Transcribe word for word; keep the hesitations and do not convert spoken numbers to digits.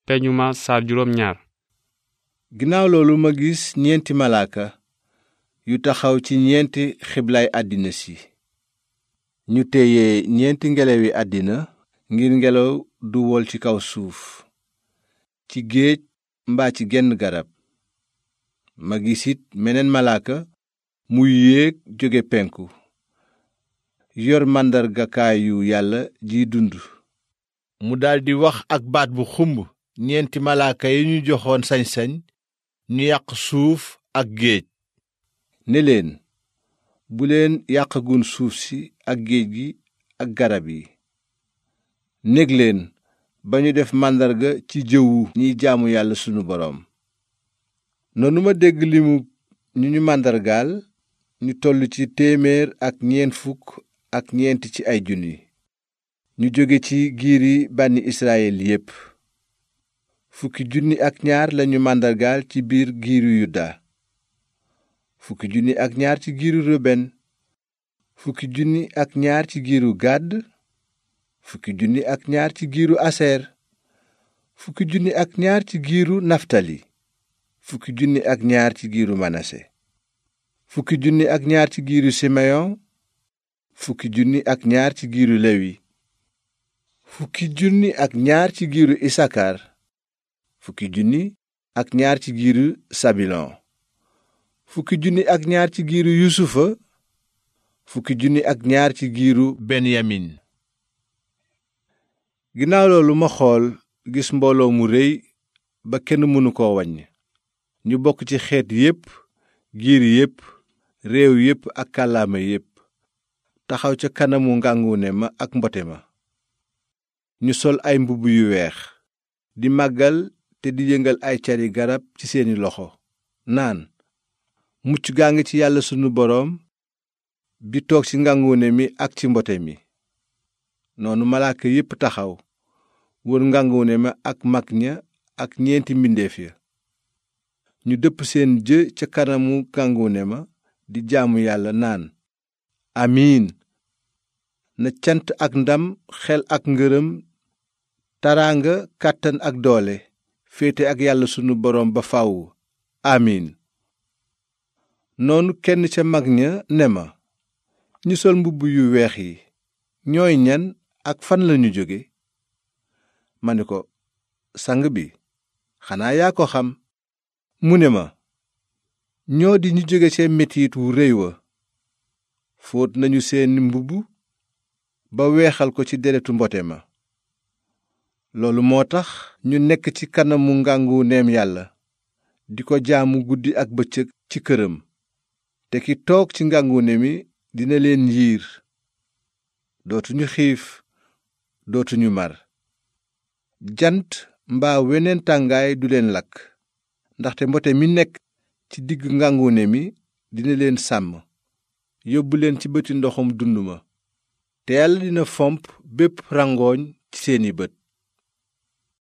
peñu ma saar juróom ñaar. ginnaaw loolu ma gis ñeenti malaaka yu taxaw ci ñeenti xiblaay àddina si. ñu téye ñeenti ngelawi àddina ngir ngelaw du wol ci kaw suuf, ci géej mbaa ci genn garab. ma gis it meneen malaaka muy yéeg jóge penku, yor màndargakaayu yàlla jiy dund. mu daldi wax ak baat bu xumb ñeenti malaaka yi ñu joxoon sañ-sañ ñu yàq suuf ak géej, ne leen, bu leen yàqagun suuf si ak géej gi ak garab yi. nég leen ba ñu def màndarga ci jëwu ñiy jaamu yàlla sunu boroom. noonu ma dégg limu ñu ñu màndargaal, ñu toll ci téeméer ak ñeent fukk ak ñeent ci ay junni, ñu jóge ci giiri bànni Israyil yépp. fukki junni ak ñaar lañu màndargaal ci biir giiru Yuda, fukki junni ak ñaar ci giiru Ruben, fukki junni ak ñaar ci giiru Gàdd, fukki junni ak ñaar ci giiru Aser, fukki junni ak ñaar ci giiru Naftali, fukki junni ak ñaar ci giiru Manase, fukki junni ak ñaar ci giiru Simeyon, fukki junni ak ñaar ci giiru Lewi, fukki junni ak ñaar ci giiru Isakar, fukki junni ak ñaar ci giiru Sabilon, fukki junni ak ñaar ci giiru Yusufa, fukki junni ak ñaar ci giiru Benyamin. ginnaaw loolu ma xool gis mbooloo mu réy ba kenn mënu koo waññ, ñu bokk ci xeet yépp, giir yépp, réew yépp ak kàllaama yépp, taxaw ca kanamu ngànguune ma ak mbote ma. ñu sol ay mbubb yu weex, di màggal te di yëngal ay cari garab ci seeni loxo, naan, mucc gaa ngi ci yàlla sunu boroom bi toog ci ngànguune mi ak ci mbote mi. noonu malaaka yépp taxaw wër ngànguune ma ak mag ña ak ñeenti mbindeef ya. ñu dëpp seen jë ca kanamu ngànguune ma di jaamu yàlla naan, amiin. na cant ak ndam, xel ak ngërëm, taraanga, kàttan ak doole féete ak yàlla sunu boroom ba faw. amiin. noonu kenn ca mag ña ne ma, ñi sol mbubb yu weex yi ñooy ñan ak fan lañu jóge? ma ne ko, sang bi, xanaa yaa ko xam. mu ne ma, ñoo di ñu jóge ca metit wu réy wa, fóot nañu seeni mbubb ba weexal ko ci deretu mbote ma. loolu moo tax ñu nekk ci kanamu ngànguneem yàlla di ko jaamu guddi ak bëccëg ci këram, te ki toog ci ngàngune mi dina leen yiir. dootuñu xiif, dootuñu mar. jant mbaa weneen tàngaay du leen lakk, ndaxte mbote mi nekk ci digg ngàngune mi dina leen sàmm, yóbbu leen ci bëti ndoxum dund ma, te yàlla dina fomp bépp rangooñ ci seeni bët.